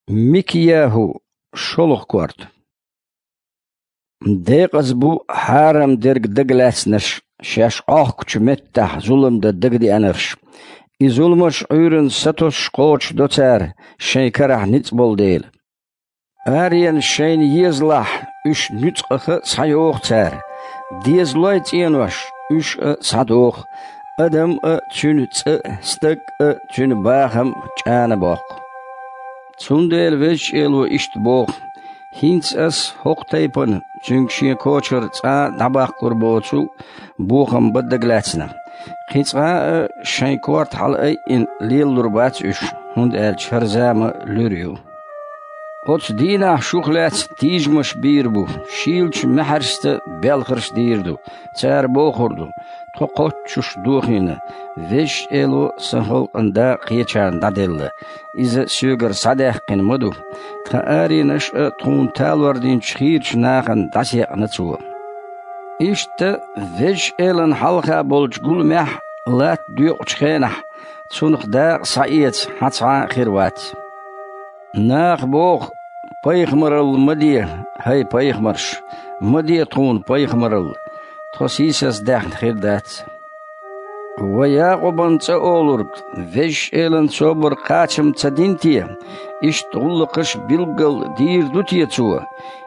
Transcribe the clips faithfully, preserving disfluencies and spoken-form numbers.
Микияху, шолгӀа корта. Декъаза бу хьарам дерг дагалаьцнарш, шаьш Ӏохкучу меттехь зулам дан дагадеанарш. И зуламаш Ӏуьйранна сатосуш кхочушдо цара, шайн карахь ницкъ болу дела. Аренаш шайна езалахь, уьш нуьцкъаха а схьайоху цара. Дезалой цӀенош, уьш а схьадоху. Адам а, цуьнан цӀа а, стаг а, цуьнан бахам а чӀанабоккху. Цундела Везачу Эло иштта боху: «ХӀинца ас хӀокху тайпана, цуьнга шен кочара цкъа а дӀабаккхур боцу, бохам бан дагалаьцна. Кхин цкъа а шайн корта хьала айина лелалур бац уьш, хӀунда аьлча хӀара зама луьра ю». Оцу дийнахь шух лаьцна тийжамаш бийр бу, шийлачу маьхьаршца белхарш дийр ду. Цара бохур ду: «Тхо кхоччуш дохийна, Везачу Эло сан халкъан дакъа кхечарна дӀаделла. Иза соьгара схьадаьккхина ма ду. Тхан аренаш а тхуна талор динчу хийрачу нахана дӀасаекъна цо». Иштта Везачу Элана хьалха болчу гуламехь латта доькъучу хенахь, цунах дакъа схьаэца хьан цхьа а хир вац. Наха боху: «Пайхамаралла ма де, хӀай пайхамарш, ма де тхуна пайхамаралла, тхо сийсаздаьхна хир дац». Ва Якъубан цӀа олург, Везачу Элана собар кхачам ца дина те, иштта гӀуллакхаш билггал дийр ду те цо?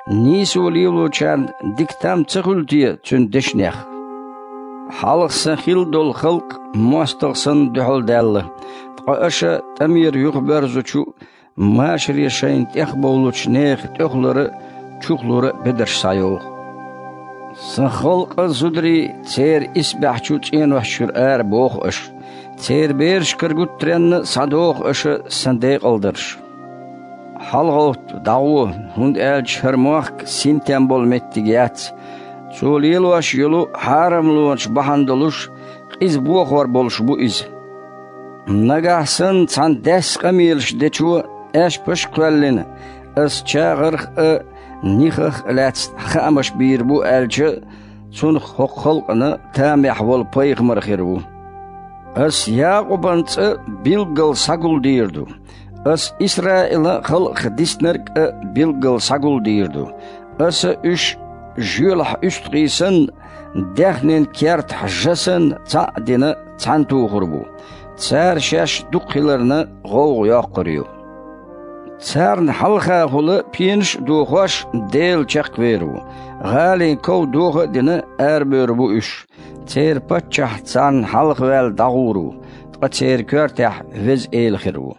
Нийсо лелочарна дика там ца хуьлу те цуьнан дешнех? Хьалха сан хилла долу халкъ мостагӀа санна дуьхьал даьлла, ткъа аша тӀамера юхабоьрзучу машаре шайна тӀехбовлучу нехан тӀехулара а, чухулара а бедарш схьайоху. Сан халкъан зударий церан исбаьхьчу цӀенош чуьра ара боху аша. Церан берашкара гуттаренна а схьадоху аша сан декъалдарш. ХьалагӀовтта, дӀагӀо, хӀунда аьлча хӀара мохк синтем болу меттиг яц. Цо лелош йолу хьарамлонаш бахьана долуш, къиза бохор болуш бу иза. Нагахь санна цхьана даьсса къамелаш дечо аьшпаш а кхоьллина, ас чагӀарх а, нихах а лаьцна хаамаш бийр бу аьлча, цунах хӀокху халкъана тамехь волу пайхамар хир ву. Ас Якъубан цӀа билггал схьагулдийр ду. Ас Исраилан халкъах диснарг а билггал схьагулдийр ду. Аса уьш жоьлахь уьстагӀий санна, даьхнин кертахь жа санна цхьаъ а дина цхьаьнатухур бу. Цара шаьш дукха хиларна гӀовгӀа йоккхур ю. Царна хьалхахула пенаш а дохош, Дела чекхвер ву. ГӀалин ков доха а дина, арабевр бу уьш. Церан паччахь царна хьалхаваьлла дӀагӀур ву, ткъа церан коьртехь Веза Эла хир ву.